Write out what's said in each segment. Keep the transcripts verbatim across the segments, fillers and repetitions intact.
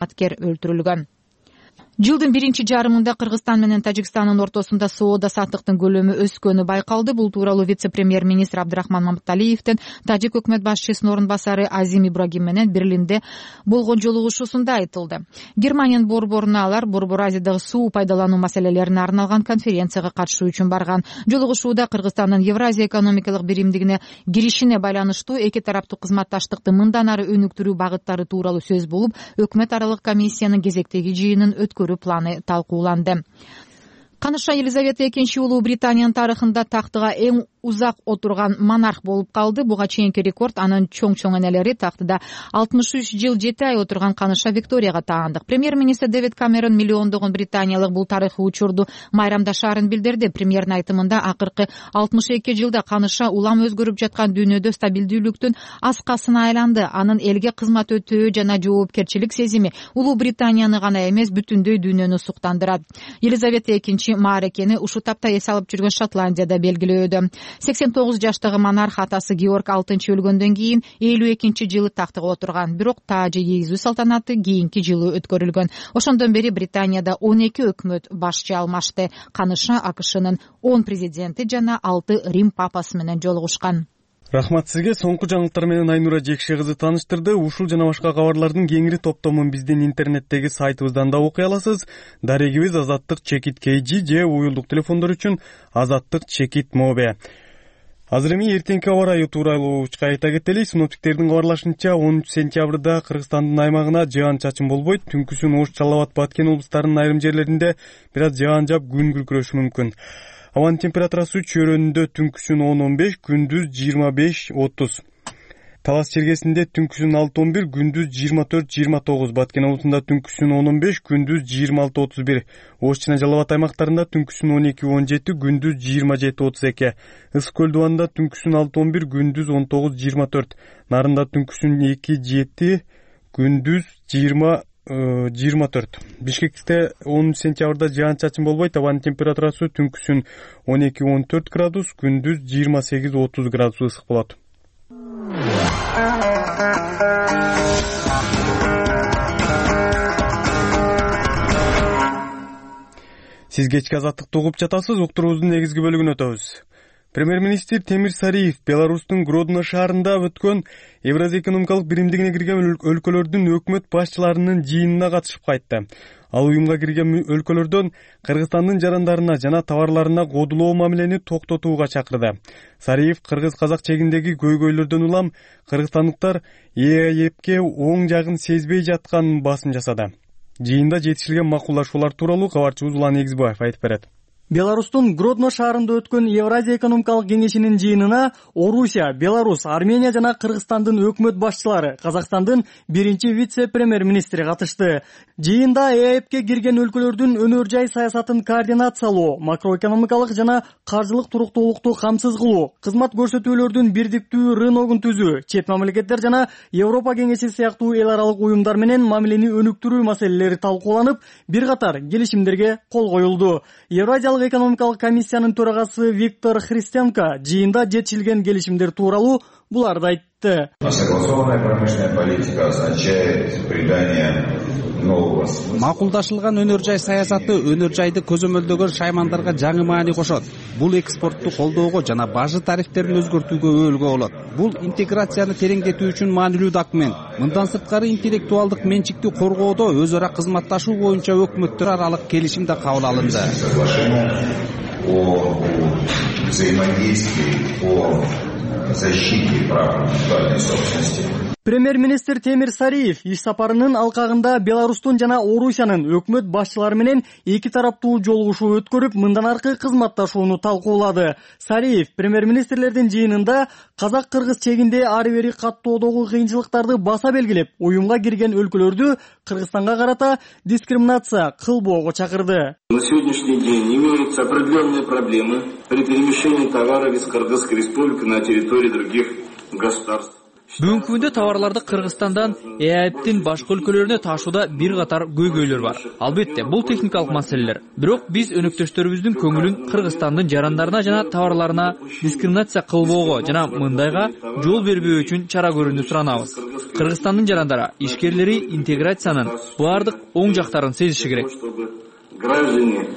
кызматкер өлтүрүлгөн. Жылдын биринчи жарымында Кыргызстан менен Тажикстандын ортосунда соода саттыктын көлөмү өскөнү байкалды. Бул тууралуу вице-премьер-министр Абдрахман Маматалиевдин Тажик өкмөт башчысынын орун басары Азим Ибрагим менен Берлинде болгон жолугушуусунда айтылды. Германиянын борборуна алар Борбор Азиядагы суу пайдалануу маселелерине арналган конференцияга катышуу үчүн барган. Жолугушууда Кыргызстандын Евразия экономикалык биримдигине киришине байланыштуу эки тараптуу кызматташтыкты мындан ары өнүктүрүү багыттары тууралуу сөз болуп, өкмөт аралык комиссиянын кезектеги жыйынын өткөрүү планы талкууланды. Каныша Елизавета экинчи Улуу Британиянын тарыхында тактыга эң узак отурган монарх болуп калды. Буга чейинки рекорд анын чоң-чоң энелери тактыда алтымыш үч жыл жети ай отурган Каныша Викторияга таандык. Премьер-министр Дэвид Камерон миллиондогон британиялык бул тарыхый учурду майрамдашаарын билдирди. Премьердин айтымында акыркы алтымыш эки жылда Каныша улам өзгөрүп жаткан дүйнөдө стабилдүүлүктүн аскасына айланды. Анын элге кызмат өтөө жана жоопкерчилик сезими Улуу Британияны гана эмес, бүтүндөй дүйнөнү суктандырат. Елизавета экинчи маарекени ушул тапта эс алып жүргөн Шотландияда белгилөөдө. сексен тогуз жаштагы монарх атасы Георг алтынчы өлгөндөн кийин элүү экинчи жылы тактыга отурган, бирок таажы ийгизүү салтанаты кийинки жылы өткөрүлгөн. Ошондон бери Британияда он эки өкмөт башчы алмашты. Каныша АКШнын он президенти жана алты Рим папасы менен жолугушкан. Рахмат сизге. Соңку жаңылыктар менен Айнура Жекше кызы тааныштырды. Ушул жана башка кабарлардын кеңири топтомун биздин интернеттеги сайтыбыздан да окуй аласыз. Дарегибиз азаттык чекит kg же уюлдук телефондор үчүн азаттык чекит мобе. Азыр эми эртеңки аба ырайы тууралуу кайта кетели. Синоптиктердин кабарлашынча он үч сентябрда Кыргызстандын аймагына жаан-чачын болбойт. Түнкүсүн Ош, Жалал Абад, Баткен облустарынын айрым жерлеринде бир аз жаан жаап күн күркүрөшү мүмкүн. Абанын температурасы чөйрөнүндө түнкүсүн он он беш, күндүз жыйырма беш отуз. Талас чергесинде түнкүсүн алты он бир, күндүз жыйырма төрт жыйырма тогуз. Баткен облусунда түнкүсүн он он беш, күндүз жыйырма алты отуз бир. Ош жана Жалал Абад аймактарында түнкүсүн он эки он жети, күндүз жыйырма жети отуз эки. Ысык көл дубанында түнкүсүн алты он бир, күндүз он тогуз жыйырма төрт. Нарында түнкүсүн эки жети, күндүз жыйырма жыйырма төрт. Бишкекте он үч сентябрда жаан-чачын болбойт. Абанын температурасы түнкүсүн он эки он төрт градус, күндүз жыйырма сегиз отуз градус ысык болот. Сиз кечки азаттыкты угуп жатасыз. Уктуруубуздун негизги бөлүгүнө өтөбүз. Премьер-министр Темир Сариев Беларустун Гродно шаарында өткөн Евразия экономикалык биримдигине кирген өлкөлөрдүн өкмөт башчыларынын жыйынына катышып кайтты. Ал уюмга кирген өлкөлөрдөн Кыргызстандын жарандарына жана товарларына кодулоо мамилени токтотууга чакырды. Сариев кыргыз-казак чегиндеги көйгөйлөрдөн улам кыргызстандыктар ЭЭПке оң жагын сезбей жатканын басым жасады. Жыйында жетишилген макулдашуулар тууралуу кабарчыбыз Улан Эгизбаев айтып берет. Беларустун Гродно шаарында өткөн Евразия экономикалык кеңешинин жыйынына Орусия, Беларусь, Армения жана Кыргызстандын өкмөт башчылары, Казакстандын биринчи вице-премьер-министри катышты. Жыйында ЭЭПке кирген өлкөлөрдүн өнөр жай саясатын координациялоо, макроэкономикалык жана каржылык туруктуулукту камсыз кылуу, кызмат көрсөтүүлөрдүн бирдиктүү рыногун түзүү, чет мамлекеттер жана Европа кеңеши сыяктуу эл аралык уюмдар менен мамилени өнүктүрүү маселелери талкууланып, бир катар келишимдерге кол коюлду. Евразиялык экономикалык комиссиянын төрагасы Виктор Христенко жыйында жетишилген келишимдер тууралуу буларды айтты. Согласованная промышленная политика означает придание нового смысла. Макулдашылган өнөр жай саясаты өнөр жайды көзөмөлдөгөн шаймандарга жаңы маани кошот. Бул экспортту колдоого жана бажы тарифтерин өзгөртүүгө өөлгө болот. Бул интеграцияны тереңдетүү үчүн маанилүү документ. Мындан сырткары интеллектуалдык менчикти коргоодо өз ара кызматташуу боюнча өкмөттөр аралык келишим да кабыл алынды. О взаимодействии, о защите прав интеллектуальной собственности. Премьер-министр Темир Сариев иш сапарынын алкагында Беларустун жана Орусиянын өкмөт башчылары менен эки тараптуу жолугушуу өткөрүп, мындан аркы кызматташууну талкуулады. Сариев премьер-министрлердин жыйынында казак-кыргыз чегинде ары бери каттоодогу кыйынчылыктарды баса белгилеп, уюмга кирген өлкөлөрдү Кыргызстанга карата дискриминация кылбоого чакырды. На сегодняшний день имеются определенные проблемы при перемещении товаров из Кыргызской республики на территории других государств. Бүгүнкү күндө товарларды Кыргызстандан ЭАЭптин башка өлкөлөрүнө ташууда бир катар көйгөйлөр бар. Албетте, бул техникалык маселелер. Бирок биз өнөктөштөрүбүздүн көңүлүн Кыргызстандын жарандарына жана товарларына дискриминация кылбоого жана мындайга жол бербөө үчүн чара көрүүнү суранабыз. Кыргызстандын жарандары, ишкерлери интеграциянын баардык оң жактарын сезиши керек. Граждане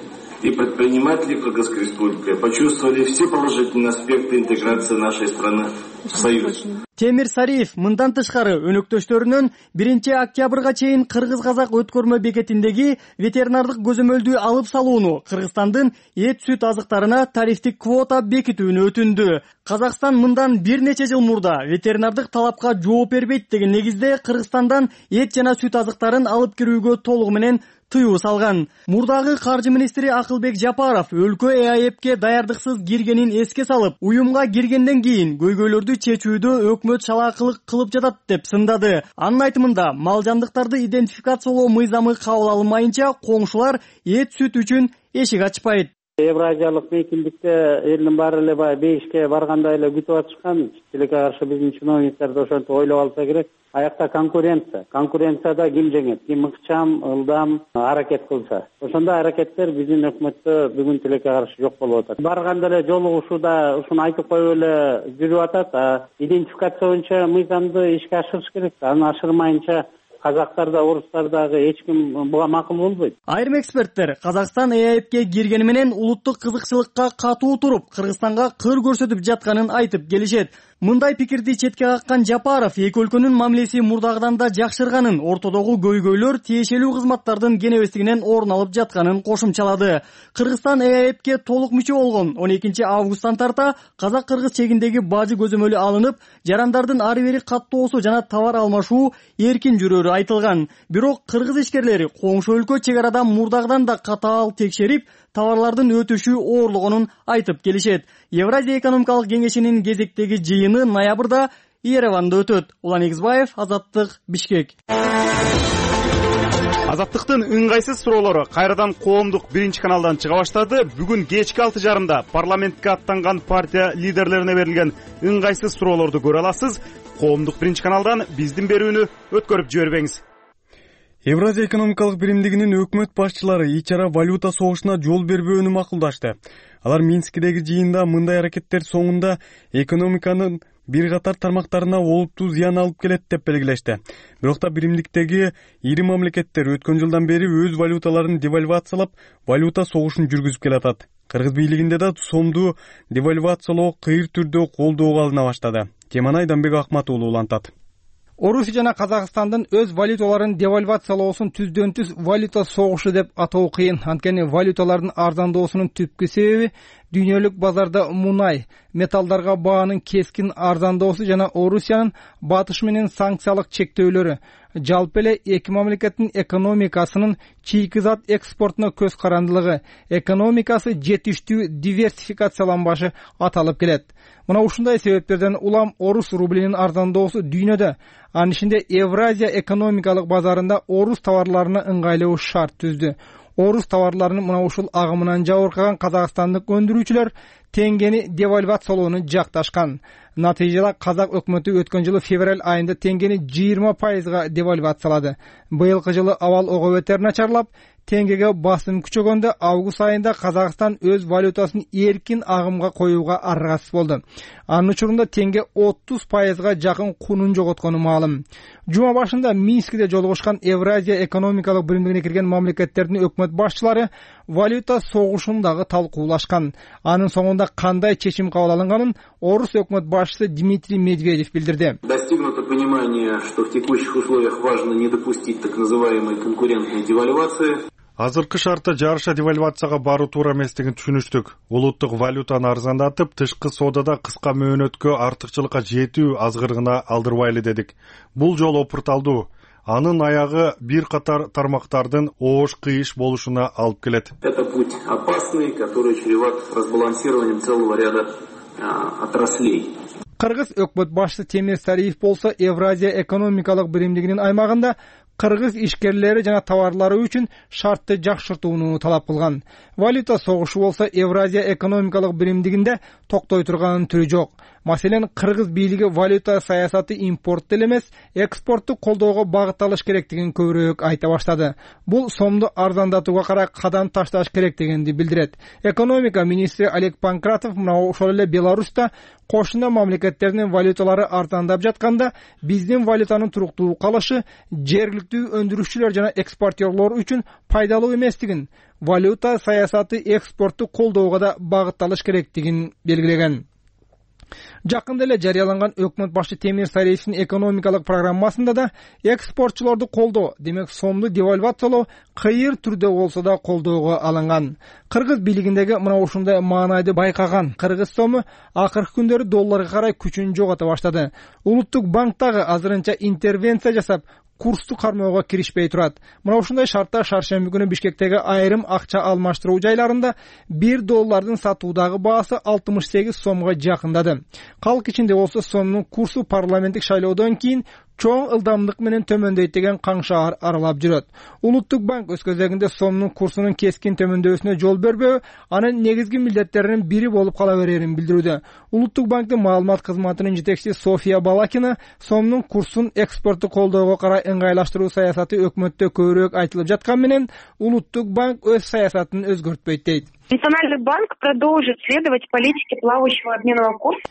и предприниматели Кыргызской Республики почувствовали все положительные аспекты интеграции нашей страны в Союз. Темир Сариев мындан тышкары өнөктөштөрүнөн биринчи октябрга чейин кыргыз-казак өткөрмө бекетиндеги ветеринардык көзөмөлдү алып салууну, Кыргызстандын эт сүт азыктарына тарифтик квота бекитүүнү өтүндү. Казакстан мындан бир нече жыл мурда ветеринардык талапка жооп бербейт деген негизде Кыргызстандан эт жана сүт азыктарын алып кирүүгө толугу менен тыюу салган. Мурдагы каржы министри Акылбек Жапаров өлкө ЭАЭпке даярдыксыз киргенин эске салып, уюмга киргенден кийин көйгөйлөрдү чечүүдө өкмөт чалаакылык кылып жатат деп сындады. Анын айтымында, мал жандыктарды идентификациялоо мыйзамы кабыл алынмайынча коңшулар эт сүт үчүн эшик ачпайт. Евразиялык мейкиндикте элдин баары эле баягы бейишке баргандай эле күтүп атышкан. Тилекке каршы биздин чиновниктер да ошентип ойлоп алса керек. Аякта конкуренция. Конкуренцияда ким жеңет, ким ыкчам, ылдам аракет кылса. Ошондой аракеттер биздин өкмөттө бүгүн тилекке каршы жок болуп атат. Барганда эле жолугушууда ушуну айтып коюп эле жүрүп атат. А идентификация боюнча мыйзамды ишке ашырыш керек. Аны ашырмайынча казактар да, орустар дагы эч ким буга макул болбойт. Айрым эксперттер Казакстан ЭАЭпке киргени менен улуттук кызыкчылыкка катуу туруп, Кыргызстанга кыр көрсөтүп жатканын айтып келишет. Мындай пикирди четке каккан Жапаров эки өлкөнүн мамилеси мурдагыдан да жакшырганын, ортодогу көйгөйлөр тиешелүү кызматтардын кенебестигинен орун алып жатканын кошумчалады. Кыргызстан ЭАЭпке толук мүчө болгон он экинчи августтан тарта казак-кыргыз чегиндеги бажы көзөмөлү алынып, жарандардын ары бери каттоосу жана товар алмашуу эркин жүрөрү айтылган. Бирок кыргыз ишкерлери коңшу өлкө чек арадан мурдагыдан да катаал текшерип, товарлардын өтүшү оорлогонун айтып келишет. Евразия экономикалык кеңешинин кезектеги жыйыны ноябрда Ереванда өтөт. Улан Эгизбаев, Азаттык, Бишкек. Азаттыктын ыңгайсыз суроолору кайрадан коомдук биринчи каналдан чыга баштады. Бүгүн кечки алты жарымда парламентке аттанган партия лидерлерине берилген ыңгайсыз суроолорду көрө аласыз. Коомдук биринчи каналдан биздин берүүнү өткөрүп жибербеңиз. Евразия экономикалык биримдигинин өкмөт башчылары ич ара валюта согушуна жол бербөөнү макулдашты. Алар Минскидеги жыйында мындай аракеттер соңунда экономиканын бир катар тармактарына олуттуу зыян алып келет деп белгилешти. Бирок да биримдиктеги ири мамлекеттер өткөн жылдан бери өз валюталарын девальвациялап, валюта согушун жүргүзүп келатат. Кыргыз бийлигинде да сомду девальвациялоо кыйыр түрдө колдоого алына баштады. Теманы Айданбек Акмат уулу улантат. Орусия жана Казакстандын өз валюталарын девальвациялоосун түздөн түз валюта согушу деп атоо кыйын. Анткени валюталардын арзандоосунун түпкү себеби дүйнөлүк базарда мунай, металлдарга баанын кескин арзандоосу жана Орусиянын батыш менен санкциялык чектөөлөрү. Жалпы эле эки мамлекеттин экономикасынын чийки зат экспортуна көз карандылыгы, экономикасы жетиштүү диверсификацияланбашы аталып келет. Мына ушундай себептерден улам орус рублинин арзандоосу дүйнөдө, анын ичинде Евразия экономикалык базарында орус товарларына ыңгайлуу шарт түздү. Орус товарларынын мына ушул агымынан жабыркаган казакстандык өндүрүүчүлөр теңгени девальвациялоону жакташкан. Натыйжада казак өкмөтү өткөн жылы февраль айында теңгени жыйырма пайызга девальвациялады. Быйылкы жылы абал ого бетер начарлап, теңгеге басым күчөгөндө август айында Казакстан өз валютасын эркин агымга коюуга аргасыз болду. Анын учурунда теңге отуз пайызга жакын кунун жоготкону маалым. Жума башында Минскиде жолугушкан Евразия экономикалык биримдигине кирген мамлекеттердин өкмөт башчылары валюта согушун дагы талкуулашкан. Анын соңунда кандай чечим кабыл алынганын орус өкмөт башчысы Дмитрий Медведев билдирди. Достигнуто понимание, что в текущих условиях важно не допустить так называемой конкурентной девальвации. Азыркы шартта жарыша девальвацияга баруу туура эместигин түшүнүштүк. Улуттук валютаны арзандатып, тышкы соодада кыска мөөнөткө артыкчылыкка жетүү азгырыгына алдырбайлы дедик. Бул жол опурталдуу. Анын аягы бир катар тармактардын оош-кыйыш болушуна алып келет. Это путь опасный, который чреват разбалансированием целого ряда отраслей. Кыргыз өкмөт башчысы Темир Сариев болсо Евразия экономикалык биримдигинин аймагында кыргыз ишкерлери жана товарлары үчүн шартты жакшыртууну талап кылган. Валюта согушу болсо Евразия экономикалык биримдигинде токтой турганын түрү жок. Маселен, кыргыз бийлиги валюта саясаты импортту эле эмес, экспортту колдоого багытталыш керектигин көбүрөөк айта баштады. Бул сомду арзандатууга карай кадам ташташ керектигинди билдирет. Экономика министри Олег Панкратов мына ошол эле Беларуста кошуна мамлекеттердин валюталары арзандап жатканда, биздин валютанын туруктуу калышы жергиликтүү өндүрүшчүлөр жана экспортерлор үчүн пайдалуу эместигин, валюта саясаты экспортту колдоого да багытталыш керектигин белгилеген. Жакында эле жарыяланган өкмөт башы Темир Сариевдин экономикалык программасында да экспортчулорду колдоо, демек сомду девальвациялоо кыйыр түрдө болсо да колдоого алынган. Кыргыз бийлигиндеги мына ушундай маанайды байкаган кыргыз сому акыркы күндөрү долларга карай күчүн жогото баштады. Улуттук банк дагы азырынча интервенция жасап, курсту кармоого киришпей турат. Мына ушундай шартта шаршемби күнү Бишкектеги айрым акча алмаштыруу жайларында бир доллардын сатуудагы баасы алтымыш сегиз сомго жакындады. Калк ичинде болсо сомдун курсу парламенттик шайлоодон кийин чоң ылдамдык менен төмөндөйт деген каңшаар аралап жүрөт. Улуттук банк өз кезегинде сомдун курсунун кескин төмөндөшүнө жол бербөө, анын негизги милдеттеринин бири болуп кала берерин билдирүүдө. Улуттук банктын маалымат кызматынын жетекчиси София Балакина сомдун курсун экспортту колдоого карай ыңгайлаштыруу саясаты өкмөттө көбүрөөк айтылып жаткан менен, Улуттук банк өз саясатын өзгөртпөйт дейт. Национальный банк продолжит следовать политике плавающего обменного курса.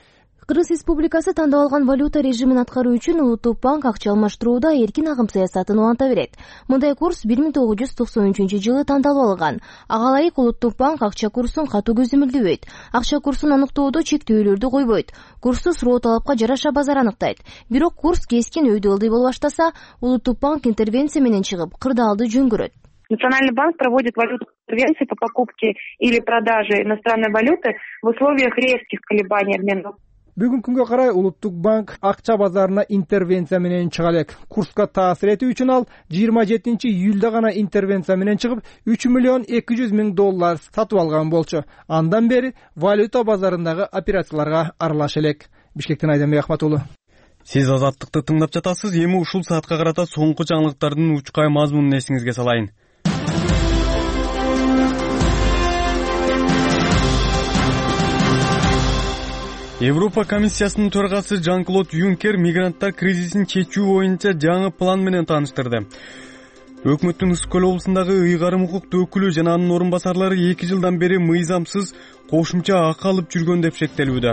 Кыргыз Республикасы тандап алган валюта режимин аткаруу үчүн Улуттук банк акча алмаштырууда эркин агым саясатын уланта берет. Мындай курс бир миң тогуз жүз токсон үчүнчү жылы тандалып алган. Ага ылайык Улуттук банк акча курсун катуу көзөмөлдөбөйт. Акча курсун аныктоодо чектөөлөрдү койбойт. Курсту суроо талапка жараша базар аныктайт. Бирок курс кескин өйдө ылдый боло баштаса, Улуттук банк интервенция менен чыгып, кырдаалды жөн көрөт. Национальный банк проводит валютные интервенции по покупке или продаже иностранной валюты в условиях резких колебаний обмена. Бүгүнкү күнгө карай Улуттук банк акча базарына интервенция менен чыга элек. Курска таасир этүү үчүн ал жыйырма жетинчи июлда гана интервенция менен чыгып, үч миллион эки жүз миң доллар сатып алган болчу. Андан бери валюта базарындагы операцияларга аралаша элек. Бишкектен Айданбек Ахматулы. Сиз Азаттыкты тыңдап жатасыз. Эми ушул саатка карата соңку жаңылыктардын учкай мазмунун эсиңизге салайын. Европа комиссиясынын төрагасы Жан-Клод Юнкер мигранттар кризисин чечүү боюнча жаңы план менен тааныштырды. Өкмөттүн Ысык көл облусундагы ыйгарым укуктуу өкүлү жана анын орун басарлары эки жылдан бери мыйзамсыз кошумча акы алып жүргөн деп шектелүүдө.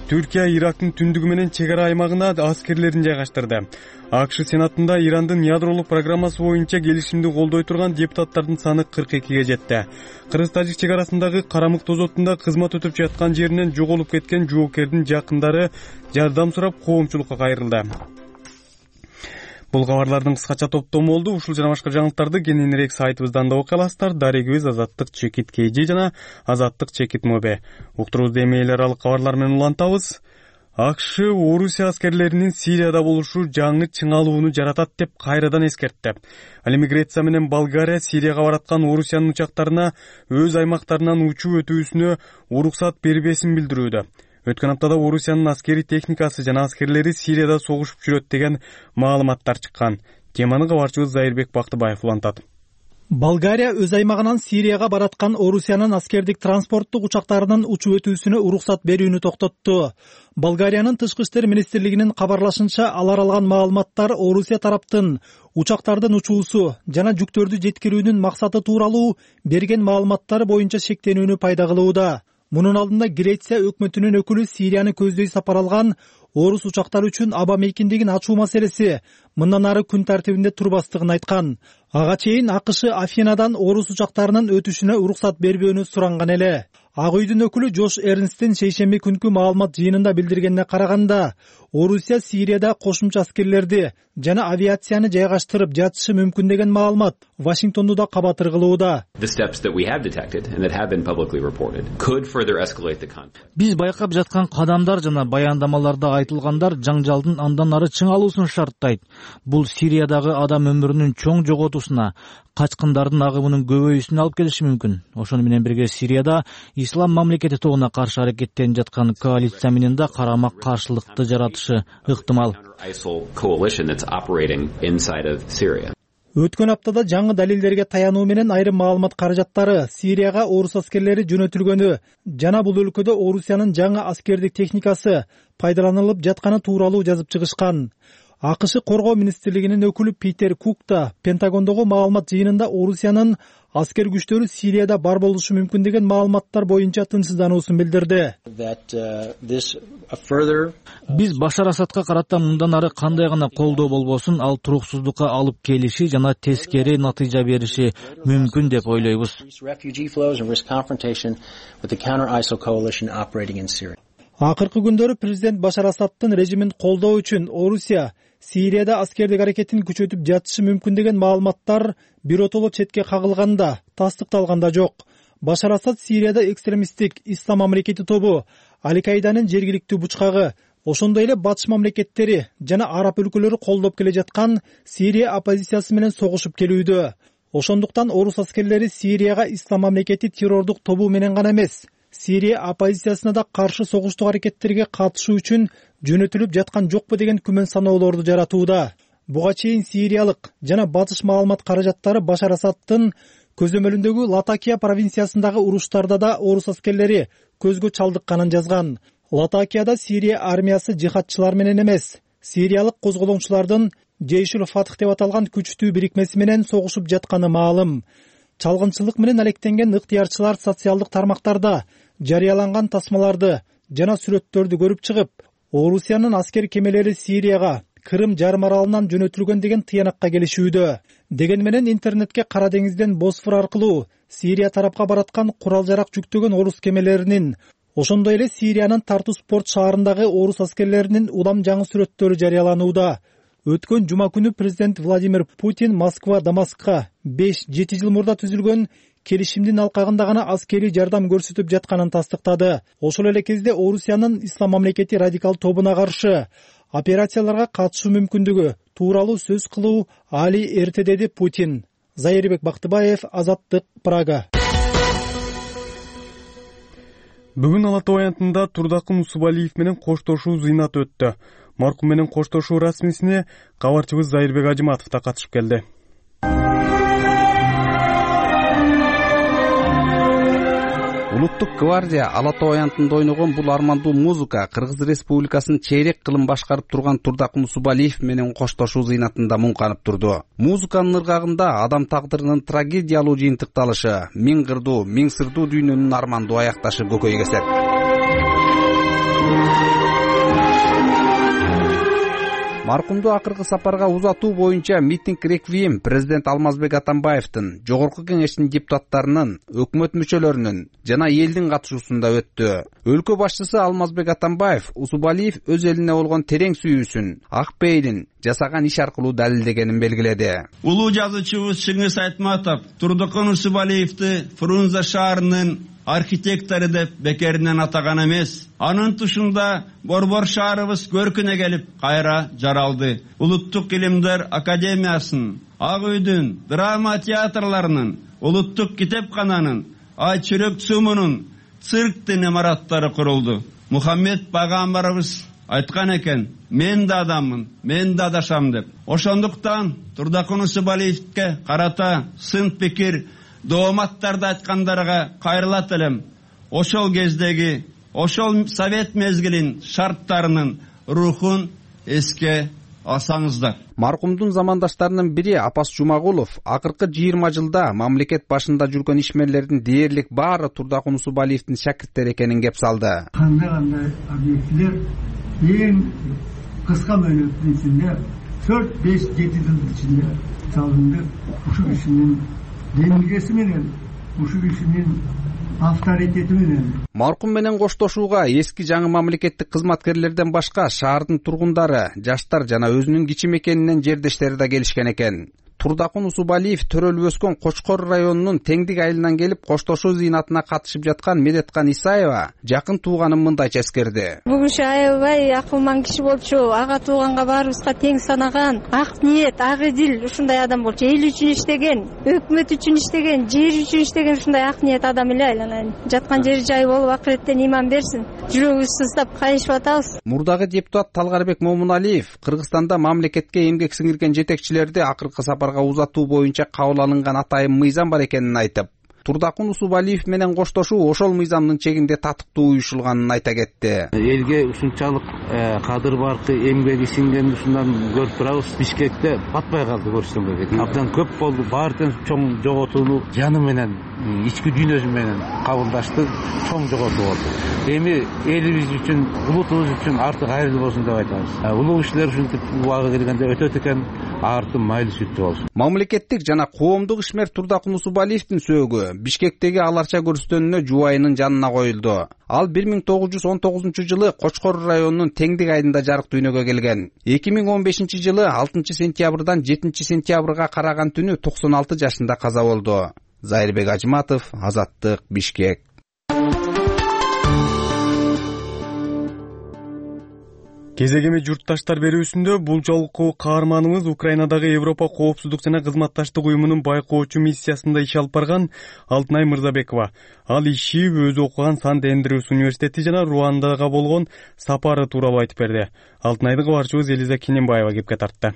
Түркия Ирактын түндүгү менен чек ара аймагына аскерлерин жайгаштырды. АКШ Сенатында Ирандын ядролук программасы боюнча келишимди колдой турган депутаттардын саны кырк экиге жетти. Кыргыз-Тажик чек арасындагы Карамык тозотунда кызмат өтүп жаткан жеринен жоголуп кеткен жоокердин жакындары жардам сурап коомчулукка кайрылды. Бул кабарлардын кыскача топтому болду. Ушул жана башка жаңылыктарды кененирээк сайтыбыздан да окуй аласыздар. Дарегибиз Азаттык чекит kg жана Азаттык чекит mob. Уктуруубузду эми эл аралык кабарлар менен улантабыз. АКШ Орусия аскерлеринин Сирияда болушу жаңы чыңалууну жаратат деп кайрадан эскертти. Ал эми Греция менен Болгария Сирияга бараткан Орусиянын учактарына өз аймактарынан учуу өтүүсүнө уруксат бербесин билдирүүдө. Өткөн аптада Орусиянын аскери техникасы жана аскерлери Сирияда согушуп жүрөт деген маалыматтар чыккан. Теманы кабарчыбыз Зайырбек Бактыбаев улантат. Болгария өз аймагынан Сирияга бараткан Орусиянын аскердик транспорттук учактарынын учуу өтүүсүнө уруксат берүүнү токтотту. Болгариянын тышкы иштер министрлигинин кабарлашынча, алар алган маалыматтар Орусия тараптын учактардын учуусу жана жүктөрдү жеткирүүнүн максаты тууралуу берген маалыматтары боюнча шектенүүнү пайда кылууда. Мунун алдында Греция өкмөтүнүн өкүлү Сирияны көздөй сапар алган орус учактары үчүн аба мейкиндигин ачуу маселеси мындан ары күн тартибинде турбастыгын айткан. Ага чейин АКШ Афинадан орус учактарынын өтүшүнө уруксат бербөөнү суранган эле. Ак үйдүн өкүлү Жош Эрнстин шейшемби күнкү маалымат жыйынында билдиргенине караганда, Орусия Сирияда кошумча аскерлерди жана авиацияны жайгаштырып жатышы мүмкүн деген маалымат Вашингтонду да кабатыр кылууда. Биз байкап жаткан кадамдар жана баяндамаларда айтылгандар жаңжалдын андан ары чыңалуусун шарттайт. Бул Сириядагы адам өмүрүнүн чоң жоготуусуна, качкындардын агымынын көбөйүүсүнө алып келиши мүмкүн. Ошону менен бирге Сирияда ислам мамлекети тобуна каршы аракеттенип жаткан коалиция менен да карама каршылыкты жаратышы ыктымал. Өткөн аптада жаңы далилдерге таянуу менен айрым маалымат каражаттары Сирияга орус аскерлери жөнөтүлгөнү жана бул өлкөдө Орусиянын жаңы аскердик техникасы пайдаланылып жатканы тууралуу жазып чыгышкан. АКШ коргоо министрлигинин өкүлү Питер Кук да Пентагондогу маалымат жыйынында Орусиянын аскер күчтөрү Сирияда бар болушу мүмкүн деген маалыматтар боюнча тынчсыздануусун билдирди. Биз Башар Асадка карата мындан ары кандай гана колдоо болбосун ал туруксуздукка алып келиши жана тескери натыйжа бериши мүмкүн деп ойлойбуз. Акыркы күндөрү президент Башар Асадтын режимин колдоо үчүн Орусия Сирияда аскердик аракетин күчөтүп жатышы мүмкүн деген маалыматтар биротоло четке кагылганда, тастыкталганда жок. Башар Асад Сирияда экстремисттик Ислам мамлекети тобу Аль-Каиданын жергиликтүү бучкагы, ошондой эле батыш мамлекеттери жана араб өлкөлөрү колдоп келе жаткан Сирия оппозициясы менен согушуп келүүдө. Ошондуктан орус аскерлери Сирияга Ислам мамлекети террордук тобу менен гана эмес, Сирия оппозициясына да каршы согуштук аракеттерге катышуу үчүн жөнөтүлүп жаткан жокпу деген күмөн саноолорду жаратууда. Буга чейин сириялык жана батыш маалымат каражаттары Башар Асадтын көзөмөлүндөгү Латакия провинциясындагы уруштарда да орус аскерлери көзгө чалдыкканын жазган. Латакияда Сирия армиясы жихадчылар менен эмес, сириялык козголоңчулардын Жейшул Фатх деп аталган күчтүү бирикмеси менен согушуп жатканы маалым. Чалгынчылык менен алектенген ыктыярчылар социалдык тармактарда жарыяланган тасмаларды жана сүрөттөрдү көрүп чыгып, Орусиянын аскер кемелери Сирияга Крым жарым аралынан жөнөтүлгөн деген тыянакка келишүүдө. Деген менен интернетке Кара деңизден Босфор аркылуу Сирия тарапка бараткан курал-жарак жүктөгөн орус кемелеринин, ошондой эле Сириянын Тартус порт шаарындагы орус аскерлеринин улам жаңы сүрөттөрү жарыяланууда. Өткөн жума күнү президент Владимир Путин Москва Дамаскка беш жети жыл мурда түзүлгөн келишимдин алкагында гана аскерий жардам көрсөтүп жатканын тастыктады. Ошол эле кезде Орусиянын Ислам мамлекети радикал тобуна каршы операцияларга катышуу мүмкүндүгү тууралуу сөз кылуу али эрте, деди Путин. Зайырбек Бактыбаев, Азаттык, Прага. Бүгүн Ала Тоо аянтында Турдакын Усубалиев менен коштошуу зыйнаты өттү. Маркум менен коштошуу расмисине кабарчыбыз Зайырбек Ажыматов да катышып келди. Улуттук гвардия Ала Тоо аянтында ойногон бул армандуу музыка Кыргыз Республикасынын чейрек кылым башкарып турган Турдакын Усубалиев менен коштошуу зыйнатында муңканып турду. Музыканын ыргагында адам тагдырынын трагедиялуу жыйынтыкталышы, миң кырдуу, миң сырдуу дүйнөнүн армандуу аякташы көкөйгө эсет. Маркумду акыркы сапарга узатуу боюнча митинг реквием президент Алмазбек Атамбаевдин, жогорку кеңештин депутаттарынын, өкмөт мүчөлөрүнүн жана элдин катышуусунда өттү. Өлкө башчысы Алмазбек Атамбаев Усубалиев өз элине болгон терең сүйүүсүн, ак пейилин жасаган иш аркылуу далилдегенин белгиледи. Улуу жазуучубуз Чыңгыз Айтматов Турдакын Усубалиевди Фрунзе шаарынын архитектору деп бекеринен атаган эмес. Анын тушунда Борбор шаарыбыз көркүнө келип кайра жаралды. Улуттук илимдер академиясынын, Ак үйдүн, драма театрларынын, улуттук китепкананын, Ай чүрөк цумунун, цирктин имараттары курулду. Мухаммед пайгамбарыбыз айткан экен, мен да адаммын, мен да адашам деп. Ошондуктан Турдакын Усубалиевге карата сын пикир дооматтарды айткандарга кайрылат элем. Ошол кездеги, ошол совет мезгилин шарттарынын рухун эске алсаңыздар. Маркумдун замандаштарынын бири Апас Жумагулов акыркы жыйырма жылда мамлекет башында жүргөн ишмерлердин дээрлик баары Турдакын Усубалиевдин шакирттери экенин кеп салды. Кандай кандай объектилер эң кыска мөөнөттүн ичинде төрт беш жети жыл ичинде салынды. Ушул кишинин демилгеси менен, ушул кишинин авторитети менен. Маркум менен коштошууга эски жаңы мамлекеттик кызматкерлерден башка шаардын тургундары, жаштар жана өзүнүн кичи мекенинен жердештери да келишкен экен. Турдакын Усубалиев төрөлүп өскөн Кочкор районунун Теңдик айылынан келип коштошуу зыйнатына катышып жаткан Медеткан Исаева жакын тууганын мындайча эскерди. Бул киши аябай акылман киши болчу, ага тууганга баарыбызга тең санаган, ак ниет, ак идил ушундай адам болчу. Эл үчүн иштеген, өкмөт үчүн иштеген, жер үчүн иштеген ушундай ак ниет адам эле айланайын. Жаткан жери жай болуп акыреттен иман берсин. Жүрөгүбүз сыздап кайышып атабыз. Мурдагы депутат Талгарбек Момуналиев Кыргызстанда мамлекетке эмгек сиңирген жетекчилерди акыркы сапар сапарга узатуу боюнча кабыл алынган атайын мыйзам бар экенин айтып, Турдакун Усубалиев менен коштошуу ошол мыйзамдын чегинде татыктуу уюшулганын айта кетти. Элге ушунчалык кадыр баркы, эмгеги сиңген ушундан көрүп турабыз. Бишкекте батпай калды көрсөм керек. Абдан көп болду. Баардын чоң жоготууну жаны менен, ички дүйнөсү менен кабылдашты, чоң жоготуу болду. Эми элибиз үчүн, улутубуз үчүн артык айрылуу болсун деп айтабыз. Улуу кишилер ушинтип убагы келгенде өтөт экен, артын майлуу сүттүү болсун. Мамлекеттик жана коомдук ишмер Турдакун Усубалиевдин сөөгү Бишкектеги аларча көрүстөнүнө жубайынын жанына коюлду. Ал бир миң тогуз жүз он тогузунчу жылы Кочкор районунун Теңдик айында жарык дүйнөгө келген. эки миң он бешинчи жылы алтынчы сентябрдан жетинчи сентябрга караган түнү токсон алты жашында каза болду. Зайырбек Ажматов, Азаттык, Бишкек. Кезегеми журтташтар берүүсүндө бул жолку каарманыбыз Украинадагы Европа коопсуздук жана кызматташтык уюмунун байкоочу миссиясында иш алып барган Алтынай Мырзабекова. Ал иши өзү окуган Сант-Эндрюс университети жана Руандага болгон сапары тууралуу айтып берди. Алтынайды кабарчыбыз Элиза Кененбаева кепке тартты.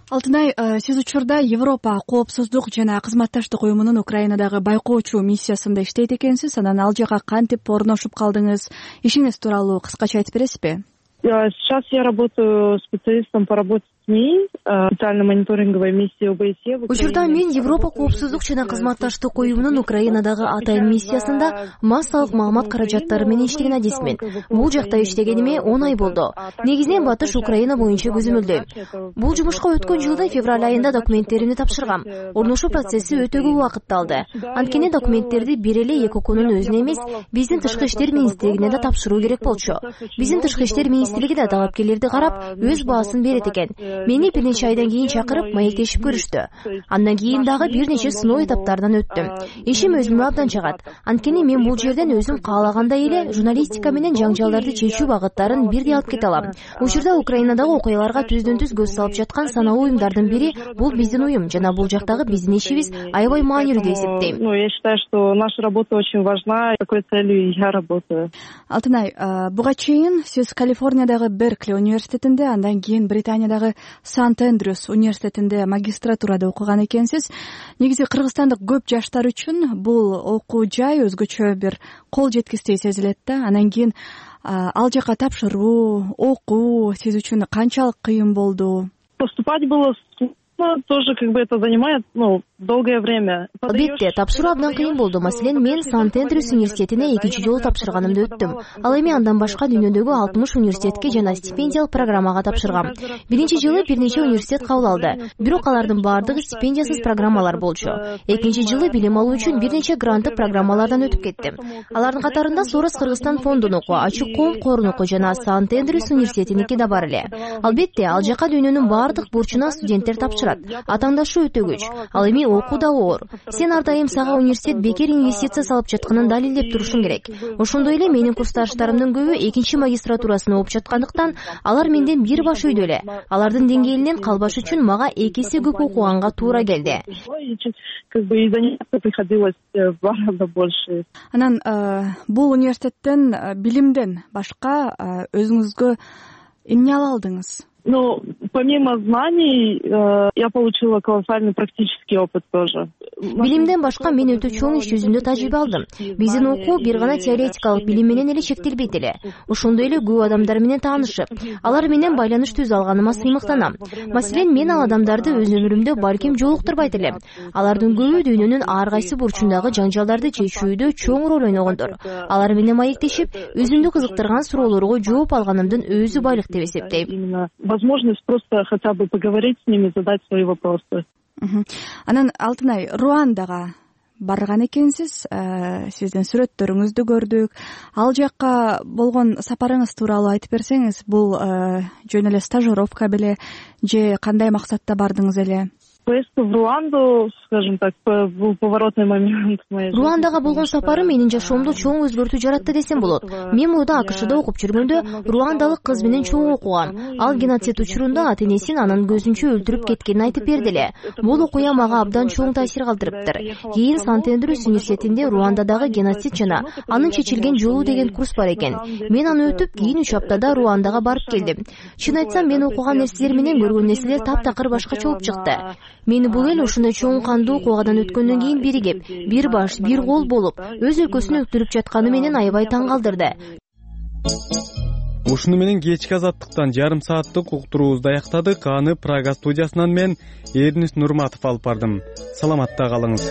Алтынай, сиз учурда Европа коопсуздук жана кызматташтык уюмунун Украинадагы байкоочу миссиясында иштейт экенсиз. Анан ал жака кантип орношуп калдыңыз? Ишиңиз тууралуу кыскача айтып бересизби? Сейчас я работаю специалистом по работе с СМИ, специальной мониторинговой миссии ОБСЕ. Учурда мен Европа коопсуздук жана кызматташтык уюмунун Украинадагы атайын миссиясында массалык маалымат каражаттары менен иштеген адисмин. Бул жакта иштегениме он ай болду. Негизинен Батыш Украина боюнча көзөмөлдөйм. Бул жумушка өткөн жылдын февраль айында документтеримди тапшыргам. Орношуу процесси өтө көп убакытты алды. Анткени документтерди бир эле ЭКОКунун өзүнө эмес, биздин Тышкы иштер министрлигине да тапшыруу керек болчу. Биздин Тышкы иштер министрлиги да талапкерлерди карап, өз баасын берет экен. Мени бир нече айдан кийин чакырып, маектешип көрүштү. Андан кийин дагы бир нече сыноо этаптардан өттүм. Ишим өзүмө абдан жагат. Анткени мен бул жерден өзүм каалагандай эле журналистика менен жаңжалдарды чечүү багыттарын бирдей алып кете алам. Учурда Украинадагы окуяларга түздөн-түз көз салып жаткан саналуу уюмдардын бири бул биздин уюм жана бул жактагы биздин ишибиз аябай маанилүү деп эсептейм. Ну, я считаю, что наша работа очень важна, такой целью я работаю. Алтынай, буга чейин сиз Калифорниядагы Беркли университетинде, андан кийин Британиядагы Сант-Эндрюс университетинде магистратурада окуган экенсиз. Негизи кыргызстандык көп жаштар үчүн бул окуу жай өзгөчө бир кол жеткистей сезилет да. Анан кийин ал жака тапшыруу, окуу сиз үчүн канчалык кыйын болду? Поступать было тоже как бы это занимает, ну, долгое время. Албетте, тапшыруу абдан кыйын болду. Маселен, мен Сант-Эндрюс университетине экинчи жолу тапшырганымды өттүм. Ал эми андан башка дүйнөдөгү алтымыш университетке жана стипендиялык программага тапшыргам. Биринчи жылы бир нече университет кабыл алды. Бирок алардын баардыгы стипендиясыз программалар болчу. Экинчи жылы билим алуу үчүн бир нече гранттык программалардан өтүп кеттим. Алардын катарында Сорос Кыргызстан фондунуку, Ачык коом корунуку жана Сант-Эндрюс университетиники да бар эле. Албетте, ал жака дүйнөнүн баардык бурчуна студенттер тапшырат. Атаандашуу өтө көч. Ал эми окуу да оор. Сен ар дайым сага университет бекер инвестиция салып жатканын далилдеп турушуң керек. Ошондой эле менин курсташтарымдын көбү экинчи магистратурасын окуп жаткандыктан алар менден бир баш үйдө эле. Алардын деңгээлинен калбаш үчүн мага эки эсе көп окуганга туура келди. Как бы и заняться приходилось в два раза больше. Анан бул университеттен билимден башка өзүңүзгө эмне ала алдыңыз? Ну, помимо знаний, э, я получила колоссальный практический опыт тоже. Билимден башка мен өтө чоң иш жүзүндө тажрыйба алдым. Биздин окуу бир гана теоретикалык билим менен эле чектелбейт эле. Ошондой эле көп адамдар менен таанышып, алар менен байланыш түзө алганыма сыймыктанам. Маселен, мен ал адамдарды өз өмүрүмдө балким жолуктурбайт элем. Алардын көбү дүйнөнүн ар кайсы бурчундагы жаңжалдарды чечүүдө чоң роль ойногондор. Алар менен маектешип, өзүмдү кызыктырган суроолорго жооп алганымдын өзү байлык деп эсептейм. Возможность просто хотя бы поговорить с ними, задать свои вопросы. Анан Алтынай, Руандага барган экенсиз, сиздин сүрөттөрүңүздү көрдүк. Ал жакка болгон сапарыңыз тууралуу айтып берсеңиз, бул жөн эле стажировка беле же кандай максатта бардыңыз эле? Поездка в Руанду, скажем так, был поворотный момент в моей жизни. Руандага болгон сапары менин жашоомду чоң өзгөртүү жаратты десем болот. Мен мурда АКШда окуп жүргөндө руандалык кыз менен чоң окугам. Ал геноцид учурунда ата энесин анын көзүнчө өлтүрүп кеткенин айтып берди эле. Бул окуя мага абдан чоң таасир калтырыптыр. Кийин Сант-Эндрюс университетинде Руандадагы геноцид жана анын чечилген жолу деген курс бар экен. Мен аны өтүп, кийин үч аптада Руандага барып келдим. Чын айтсам, мен окуган нерселер менен көргөн нерселер таптакыр башкача болуп чыкты. Мени бул эл ушундай чоң кандуу окуядан өткөндөн кийин биригип, бир баш, бир кол болуп, өз өлкөсүн өктүрүп жатканы менен аябай таң калтырды. Ушуну менен кечки азаттыктан жарым сааттык уктуруубузду аяктадык. Аны Прага студиясынан мен Эрнис Нурматов алып бардым. Саламатта калыңыз.